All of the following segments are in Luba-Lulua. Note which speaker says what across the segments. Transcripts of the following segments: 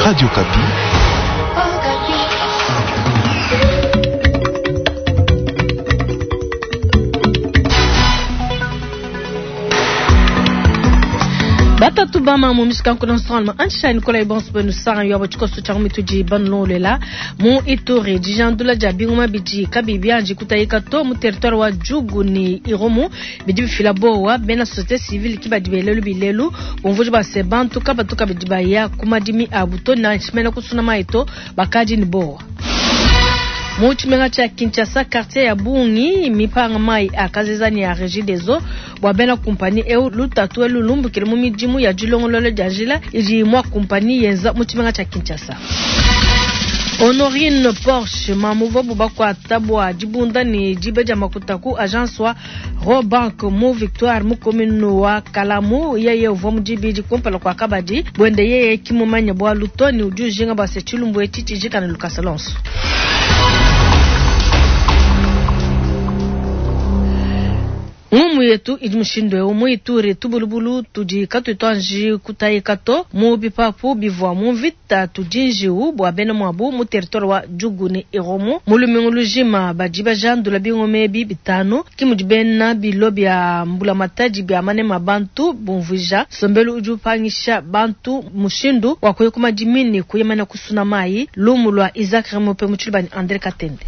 Speaker 1: Radio Okapi.
Speaker 2: Batatu bama mu mishikanku na nsongaluma anshani nikola ibonso benu sanga yabo tshikoso tshia mitudi banulolela mu Ituri dijandula dia bingoma bidi kabi bianji kutayika to mu territoire wa Djugu ni Irumu bidi bifila bowa bena société civile ki badi belelu bilelu bumvuji ba se bantu kabatu kabidi baya ku madimi abu to na nshimena kusuna mayi to bakadi ni bowa. Mu tshimenga tshia Kinshasa quartier ya bungi mipanga mayi a kazeza ni ya Regideso bua bena kumpani eu lutatu elu lumbukile mu midimu ya dilongolola dia njila idi mwa kumpani yenza mu tshimenga tshia Kinshasa. Honorine Porsche mamu vabu bakuata bua dibunda ni dibe dia makuta ku agence wa Rawbank mu Victoire mu commune wa Kalamu yeye uvua mu dibidi kumpala kua kabadi buende yeye kimumanya bua lutoni udi ujinga bua se tshilumbu etshi tshijikana lukasa lonso. Ngumu yetu idi mushindu eu mu Ituri tubulubulu tudi katuitwanji kutayika to mu bipapu bivua mu mvita tudi njiwu bua bena muabu mu territoire wa Djugu ni Irumu mu lumingu lujima badi bajandula bingoma ebi bitanu ki mudi bena bilo bia mbulamatadi bia manema bantu bumvuija nsombelu udi upangisha bantu mushindu wa kuya ku madimi ni kuyemana kusuna mayi lumu lua Isaac Remope mu tshilubani André Katende.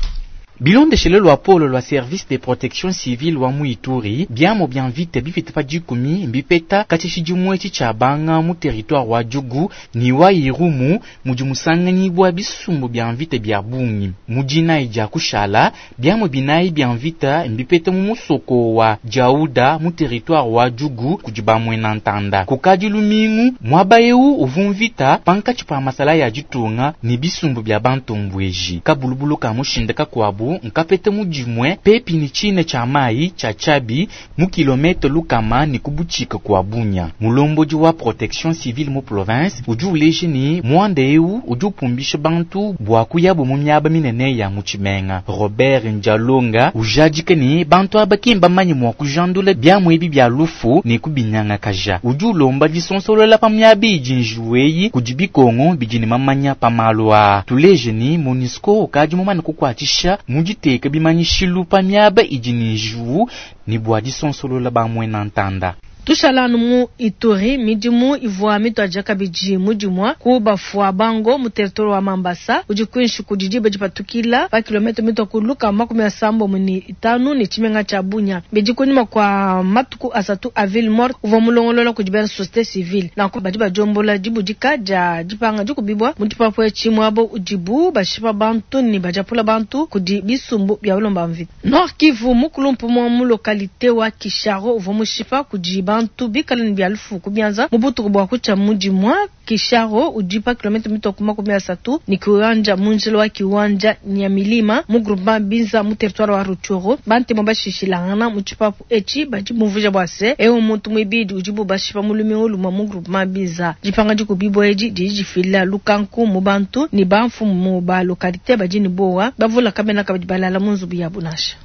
Speaker 3: Bilondeshele lwa polo lwa service de protection civile wa mu Ituri biamo bia mvita bipita pa dikumi mbipeta katshia tshidimue etshi tshia banga mu territoire wa Djugu ni wa Irumu mudi musanganyibua bisumbu bia mvita bia bungi. Mu dinayi dia kushala biamo binayi bia mvita mbipeta mu musoko wa Diauda mu territoire wa Djugu kudi bamwena ntanda. Kukadi lumingu muaba eu uvu mvita pankatshi pa masala ya ditunga ni bisumbu bia bantombweji. Kabulubulu ka mushinda kakuabu nkapete mudimue pepi ni tshine tshia mayi tshia Tshabi mu kilomètre lukama ni kubuchika kwa Bunya. Mulombodi wa protection civile mu province udi uleje ni mwanda eu udi upumbisha bantu bua kuyabu mu miaba minene ya mu tshimenga. Robert Njalonga ujadike ni bantu aba ki mbamanye mua kujandula biamu ebi bia lufu ni kubinyangakaja. Udi ulomba disonsolola pa miaba idi njiwu eyi kudi bikongo bidi ne mamanya pa malu aa. Tuleje ni MONUSCO ukadi mumane kukuatshisha mu diteka bimanyishilu pa miaba idi ne njiwu ni bua disonsolola bamwena ntanda.
Speaker 2: Tushalanu mu Ituri midimu ivua mituadija kabidi mudimua ku bafua bango mu territoire wa Mambasa udi kuinshi kudi diba dipatukila pa kilomètre mitua ku luka 75 ni tshimenga tshia Bunia. Bidi kunyima kua matuku asatu a ville morte uvua mulongolola kudi bena société civile nanku badi badiombola dibudika dia dipanga dikubibwa mu dipapu etshi muabo udibu bashipa bantu ni badiapula bantu kudi bisumbu bia balomba mvita. Nord Kivu mukulumpu mwa mu localité wa Kisharo uvua mushipa kudi bantu bikala ni bia lufu kubianza mu butuku bua kutshia mudimua Kisharo udi pa kilomètre mitoko 30 ni kiwanja mu njila wa kiwanja Nyamilima mu groupement Binza mu territoire wa Rutshuru. Bantemo bashishilangana mu tshipapu etshi badi bumvuija bua se ewu muntu muibidi udibu bashipa mu lumingu lumue mu groupement Binza. Dipanga dikubibua edi didi difila lukanku mu bantu ni bamfumu ba localité badi ni bowa bavula kabena kabidi balala mu nzubu yabu nansha.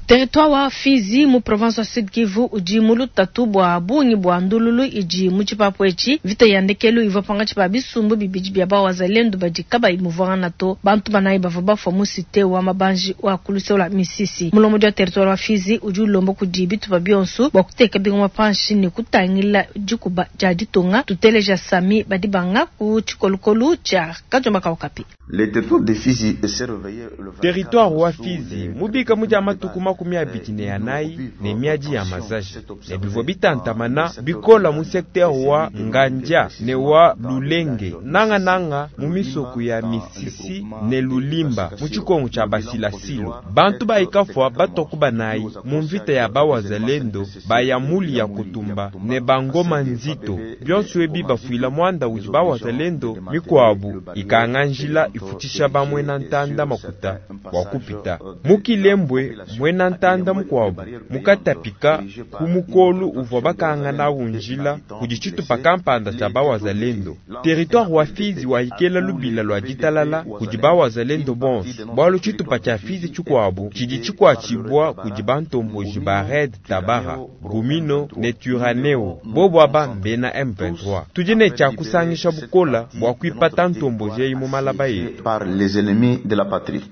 Speaker 2: Territoire wa Fizi mu province wa Sud Kivu udi mu lutatu bua bungi bua ndululu idi mu tshipapu etshi. Mvita ya ndekelu ivua pankatshi pa bisumbu bibidi bia bawazalendo badi kabayi muvuangana to. Bantu banayi bavua bafua mu cité wa mabanji wa kulusela Misisi. Mulombodi wa territoire wa Fizi udi ulomba kudi bitupa bionso bua kuteka bingoma panshi ne kutangila dikuba dia ditunga. Tuteleja Sami Badibanga ku tshikolokolo tshia Kajomba Kaukapi.
Speaker 4: Le territoire de Fizi s'est réveillé le vingt-quatre
Speaker 5: Territoire wa
Speaker 4: sous
Speaker 5: Fizi
Speaker 4: les
Speaker 5: mubika mu dia matuku
Speaker 4: tribunaux
Speaker 5: 24 ne miadi ya mazaji
Speaker 4: Cette
Speaker 5: ne bivua
Speaker 4: observée
Speaker 5: bitantamana
Speaker 4: dans le
Speaker 5: bikola mu
Speaker 4: secteur
Speaker 5: secteur wa
Speaker 4: de
Speaker 5: Ngandja
Speaker 4: Misisi,
Speaker 5: ne wa
Speaker 4: dans le
Speaker 5: Lulenge
Speaker 4: village de
Speaker 5: nanga-nanga mu
Speaker 4: Lulimba,
Speaker 5: misoko ya
Speaker 4: dans le
Speaker 5: Misisi
Speaker 4: groupement
Speaker 5: ne
Speaker 4: de
Speaker 5: Lulimba mu
Speaker 4: Basila
Speaker 5: tshikongo tshia
Speaker 4: Silo. Le bilan
Speaker 5: Basilasilo.
Speaker 4: provisoire
Speaker 5: Bantu
Speaker 4: est
Speaker 5: bayikafua
Speaker 4: de
Speaker 5: batoku banayi
Speaker 4: quatre
Speaker 5: mu mvita ya bawazalendo bayamuli ya kutumba ne bangoma nzito bionso ebi bafuila mwanda udi bawazalendo mikuabu ikanga njila ifutisha bamwena ntanda makuta bua kupita. Mu Kilembwe mwena mwena ntanda mukuabu mukatapika ku mukolu uvua bakanga nawu njila kudi tshitupa kampanda tshia bawazalendo. Territoire wa Fizi wahikela lubila lua ditalala kudi bawazalendo bonso, bualu tshitupa tshia Fizi tshikuabu tshidi tshikuatshibua kudi bantomboji ba Red Tabara, Gumino ne Twirwaneho, bobu aba mbena M23. Tudi ne tshia kusangisha bukola bua kuipata ntomboji eyi mu malaba yetu.
Speaker 4: Par les ennemis de la patrie.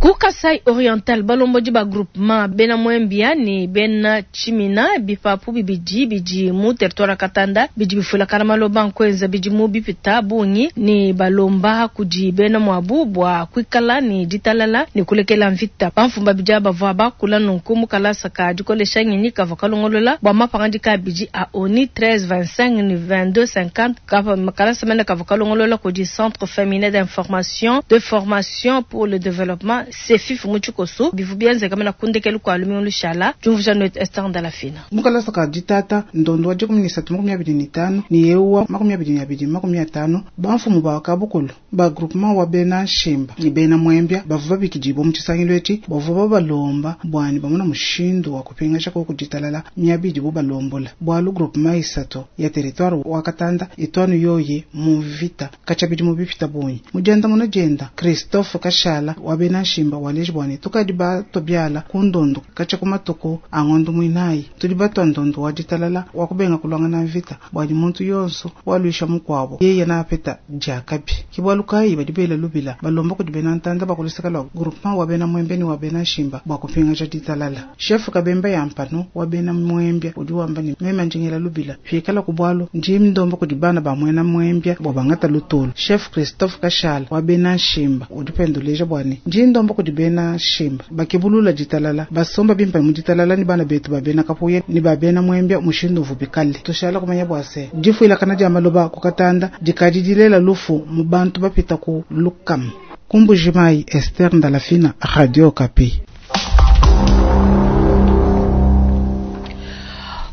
Speaker 2: Ku Kasai Oriental, balombodi ba groupement bena Mwembia ne bena Tshimina bipapu bibidi bidi mu territoire wa Katanda bidi bifuilakana maloba nkuenza bidimu bipita bungi ne balomba kudi bena muabu bua kuikala ne ditalala ne kulekela mvita. Bamfumu babidi aba bavua bakula nunku mu kalasa ka dikolesha ngenyi kavua kalongolola bua mapangadika abidi a ONU 1325 ne 2250 kapa kalasa mene kavua kalongolola kudi Centre Féminin d'Information de Formation pour le Développement CEFIF mu tshikoso bivua bienzeka mena ku ndekelu kua lumingu lushala diumvuija ne Esther Ndalafina.
Speaker 1: Mu kalasa ka ditata ndondo wa 1325 ne yewu wa 2250 bamfumu ba kabukulu ba groupement wa bena Nshimba ne bena Mwembia bavua babikidibwa mu tshisangilu etshi bavua babalomba bwani bamona mushindu wa kupingasha koku ditalala miaba idibu balombola bualu groupement isatu ya territoire wa Katanda itwanu yoyi mu vita katshia bidimu bipita bungi. Mu diandamuna dienda Christophe Kashala wa bena Nshimba waleji bwani tukadi bato biala ku ndondo katshia ku matuku a ngondo muinayi tudi batwa ndondo wa ditalala wa kubenga kulwangana mvita bwani muntu yonso walwisha mukuabo yeye napeta diakabi ke bualu kayi badi bela lubila balomba kudi bena ntanda bakuluseka lwa groupement wa bena Mwembe ni wa bena Nshimba bua kupingaja ditalala. Chef Kabemba ya mpano wa bena Mwembia udi wamba ni meme njingela lubila fikala ku bualu ndi ndomba kudi bana ba mwena Mwembia bua bangata lutulu. Chef Christophe Kashala wa bena Nshimba udi penduleja bwani ndi ndomba kudi bena Nshimba bakebulula ditalala basomba bimpa mu ditalala ni bana betu ba bena Kapuye ni ba bena Mwembia mushindu uvubikale tushala kumanya bua se difuilakana dia maloba ku Katanda dikadi dilela lufu mu bantu bapita ku lukam. Ku Mbujimayi, Esther Ndalafina, Radio Okapi.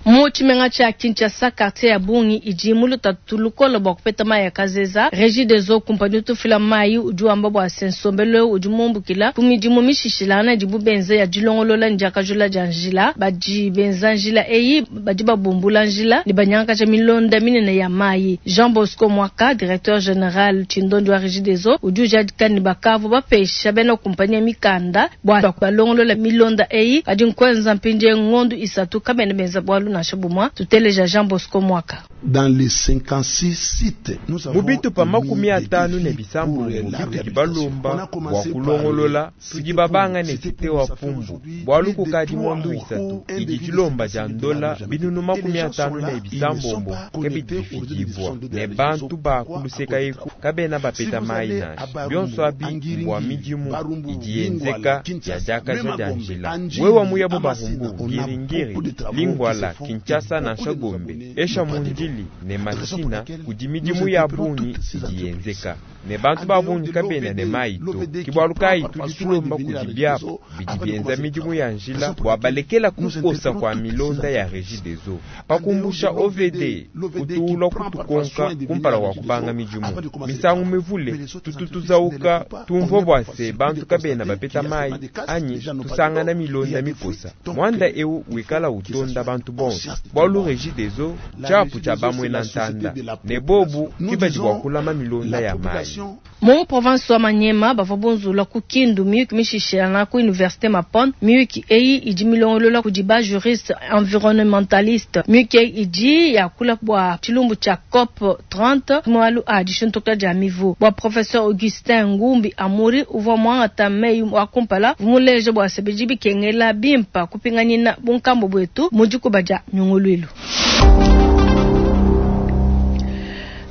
Speaker 2: Mu tshimenga tshia Kinshasa, quartier ya bungi idi mu lutatu lukole bua kupeta mayi ya kazeza. Regideso kumpanyi utu ufila mayi udi wamba bua se nsombelu eu udi mumbukila ku midimu mishishilangana idibu benza ya dilongolola ne diakajula dia njila. Badi benza njila eyi badi babumbula njila ne banyangakaja milonda minene ya mayi. Jean Bosco Mwaka, directeur general tshindondi wa Regideso, udi ujadika ne bakavua bapesha bena kumpanyi ya mikanda bua balongolola milonda eyi, kadi nkuenza mpindieu ngondu isatu kabena benza bualu nansha bumua. Tuteleja Jean Bosco Mwaka.
Speaker 6: Dans les 56 sites, nous avons
Speaker 5: Mu bitupa
Speaker 6: mis
Speaker 5: makumi
Speaker 6: des
Speaker 5: atanu ne
Speaker 6: défis
Speaker 5: bisambu
Speaker 6: pour la
Speaker 5: bitudi
Speaker 6: réhabilitation.
Speaker 5: balomba
Speaker 6: On a
Speaker 5: bua
Speaker 6: commencé
Speaker 5: kulongolola
Speaker 6: par
Speaker 5: tudi babanga ne
Speaker 6: c'était
Speaker 5: site
Speaker 6: pour
Speaker 5: wa
Speaker 6: ça fait
Speaker 5: Pumbu
Speaker 6: aujourd'hui
Speaker 5: bualu
Speaker 6: plus de
Speaker 5: kukadi
Speaker 6: trois
Speaker 5: ngondu
Speaker 6: mois
Speaker 5: isatu
Speaker 6: où un
Speaker 5: idi
Speaker 6: devis de
Speaker 5: dilomba
Speaker 6: 56
Speaker 5: dia
Speaker 6: 000
Speaker 5: ndola
Speaker 6: dollars n'a jamais
Speaker 5: binunu
Speaker 6: été.
Speaker 5: makumi
Speaker 6: Et les gens
Speaker 5: atanu
Speaker 6: sont
Speaker 5: ne
Speaker 6: là, ils ne sont
Speaker 5: bisambombo
Speaker 6: pas
Speaker 5: ke
Speaker 6: connectés au réseau de
Speaker 5: bidifidibua
Speaker 6: distribution de
Speaker 5: ne
Speaker 6: la
Speaker 5: bantu
Speaker 6: région.
Speaker 5: ba
Speaker 6: Pourquoi?
Speaker 5: kuluseka
Speaker 6: À cause des
Speaker 5: eku
Speaker 6: travaux.
Speaker 5: kabena
Speaker 6: Si
Speaker 5: bapeta
Speaker 6: vous
Speaker 5: mayi
Speaker 6: allez à
Speaker 5: nansha
Speaker 6: Barumbu,
Speaker 5: bionso abi
Speaker 6: Angiringiri,
Speaker 5: mbua midimu
Speaker 6: Barumbu,
Speaker 5: idi
Speaker 6: Lingwala,
Speaker 5: yenzeka ya
Speaker 6: Kinshasa,
Speaker 5: diakaja
Speaker 6: même à
Speaker 5: dia
Speaker 6: Gombe,
Speaker 5: njila
Speaker 6: Anjili,
Speaker 5: wewa muya bo
Speaker 6: Amasina,
Speaker 5: Barumbu,
Speaker 6: on a
Speaker 5: Ngiringiri,
Speaker 6: beaucoup de travaux qui
Speaker 5: Lingwala,
Speaker 6: se font et
Speaker 5: Kinshasa
Speaker 6: beaucoup
Speaker 5: nansha
Speaker 6: de nos
Speaker 5: Gombe
Speaker 6: abonnés
Speaker 5: esha
Speaker 6: n'ont pas de
Speaker 5: mundili ne
Speaker 6: Raison pour
Speaker 5: Masina
Speaker 6: laquelle
Speaker 5: kudi
Speaker 6: nous
Speaker 5: midimu ya
Speaker 6: interpellons
Speaker 5: bungi
Speaker 6: toutes ces
Speaker 5: idi
Speaker 6: entreprises.
Speaker 5: yenzeka ne bantu
Speaker 6: En
Speaker 5: ba
Speaker 6: dehors
Speaker 5: bungi
Speaker 6: de
Speaker 5: kabena ne
Speaker 6: l'OVD,
Speaker 5: mayi to
Speaker 6: l'OVD
Speaker 5: ke
Speaker 6: qui
Speaker 5: bualu
Speaker 6: prend
Speaker 5: kayi
Speaker 6: parfois
Speaker 5: tudi
Speaker 6: soin de
Speaker 5: tulomba
Speaker 6: venir
Speaker 5: kudi
Speaker 6: avec
Speaker 5: biapu
Speaker 6: les eaux
Speaker 5: bidi
Speaker 6: avant de
Speaker 5: bienza
Speaker 6: commencer le
Speaker 5: midimu
Speaker 6: travail.
Speaker 5: ya njila
Speaker 6: Raison pour
Speaker 5: bua
Speaker 6: laquelle
Speaker 5: balekela
Speaker 6: nous
Speaker 5: kukosa
Speaker 6: interpellons
Speaker 5: kua
Speaker 6: toutes ces
Speaker 5: milonda ya
Speaker 6: entreprises.
Speaker 5: Regideso
Speaker 6: En dehors
Speaker 5: pakumbusha
Speaker 6: de l'OVD,
Speaker 5: OVD
Speaker 6: l'OVD qui
Speaker 5: kutuulwa
Speaker 6: prend parfois
Speaker 5: kutukonka
Speaker 6: soin de venir
Speaker 5: kumpala
Speaker 6: avec
Speaker 5: kwa
Speaker 6: les
Speaker 5: kubanga
Speaker 6: eaux
Speaker 5: midimu
Speaker 6: avant de commencer le
Speaker 5: misangu
Speaker 6: travail.
Speaker 5: mivule
Speaker 6: Mais les autres
Speaker 5: tutu
Speaker 6: entreprises ne
Speaker 5: tuzauka
Speaker 6: l'écoutent pas. On
Speaker 5: tumvua
Speaker 6: est
Speaker 5: bua
Speaker 6: parfois
Speaker 5: se
Speaker 6: surpris
Speaker 5: bantu
Speaker 6: de
Speaker 5: kabena
Speaker 6: constater
Speaker 5: bapeta
Speaker 6: qu'il y a
Speaker 5: mayi
Speaker 6: seulement des casques,
Speaker 5: anyi
Speaker 6: les gens n'ont pas de
Speaker 5: tusangana
Speaker 6: l'eau, il y
Speaker 5: milonda
Speaker 6: a des
Speaker 5: mikosa
Speaker 6: fuites. Donc,
Speaker 5: mwanda
Speaker 6: il
Speaker 5: eu
Speaker 6: faut
Speaker 5: wikala
Speaker 6: que ça
Speaker 5: utonda
Speaker 6: soit
Speaker 5: bantu bonso
Speaker 6: conscience de tout le
Speaker 5: bualu
Speaker 6: monde.
Speaker 5: Regideso
Speaker 6: La
Speaker 5: tshiapu tshia
Speaker 6: Regideso, c'est la
Speaker 5: bamwena
Speaker 6: société
Speaker 5: ntanda
Speaker 6: de la
Speaker 5: ne bobu
Speaker 6: population. Nous
Speaker 5: ke badi bua
Speaker 6: disons,
Speaker 5: kulama milonda
Speaker 6: la
Speaker 5: ya mayi.
Speaker 6: population
Speaker 2: Mu province wa Maniema bavua bunzula ku Kindu miyuki mishishilana ku université Mapon. Miyuki eyi idi milongolola kudi ba juriste environnementaliste. Miyuki eyi idi yakula bua tshilumbu tshia COP 30 mualu a dishintuka dia mivu. Bua professeur Augustin Ngumbi Amuri uvua muangata meyi wa kumpala vumuleja bua se bidi bikengela bimpa kupinganyina bunkambo bwetu mu dikuba dia nyunguluilu.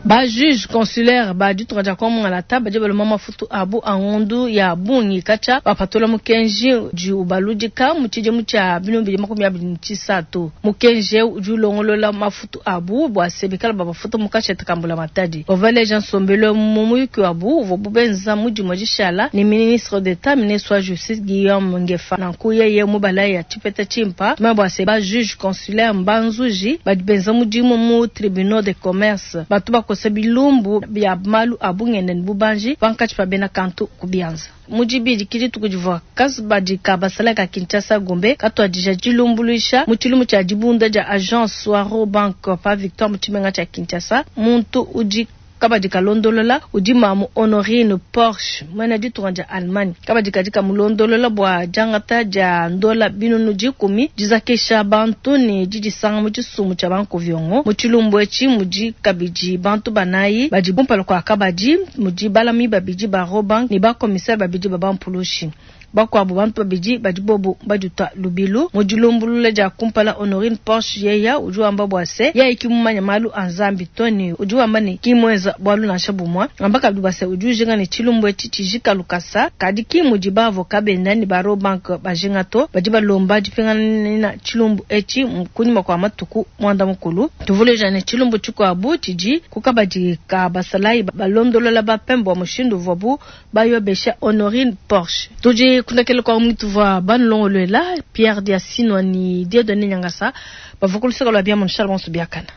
Speaker 2: Ba juge consulaire ba ditunga dia Kongo badi baloma mafutu abu a ngondu ya bungi katshia bapatula mukenji udi ubaludika mu tshidimu tshia 2023. Mukenji eu udi ulongolola mafutu abu bua se bikala babafuta mu kashete ka mbulamatadi. Bavaleja nsombelu mu muyuki wabu uvua bubenza mudimu dishala ne ministre d'Etat ministre wa justice Guillaume Ngefa. Nanku yeye mubalaya tshipeta tshimpa tumanye bua se ba juge consulaire mbanzuji badi benza mudimu mu tribunal de commerce batu bakosa dikosa bilumbu bia malu a bungenda ne bubanji pankatshi pa bena kantu ku bianza. Mu dibidi ki dituku divua kabadi ka basalayi ka Kinshasa Gombe katuadija dilumbuluisha mu tshilumbu tshia dibunda dia agence wa Rawbank pa Victoire mu tshimenga tshia Kinshasa. Muntu udi kabadi kalondolola udi mamu Honorine Porsche muena ditunga dia Allemagne. Kabadi kadi kamulondolola bua diangata dia ndola 100,000, dizakisha bantu ne didisanga mu tshisumbu tshia bankoviongo. Mu tshilumbu etshi mudi kabidi bantu banayi badi kumpala kua kabadi, mudi balami babidi ba Rawbank ne bakomisere babidi ba bampulushi. Bakuabu bantu babidi badi bobu baditua lubilu mu dilumbulula dia kumpala. Honorine Porsche yeya udi wamba bua se yeye ki mumanya malu a Nzambi to, ne udi wamba ne ki muenza bualu nansha bumue. Wamba kabidi bua se udi ujinga ne tshilumbu etshi tshijika lukasa, kadi ki mudi ba avocat benda ne ba Rawbank bajinga to. Badi balomba dipinganina tshilumbu etshi kunyima kua matuku muanda mukulu. Tuvuluija ne tshilumbu tshikuabu tshidi ku kabadi ka basalayi balondolola ba pembe bua mushindu uvuabu bayobesha Honorine Porsche. Tudi kundekela kwa mutuvua banulongoluela Pierre Diasinwa ni Dieudonné Nyangasa bavua ku luseke lua biamu nshala bonso biakana.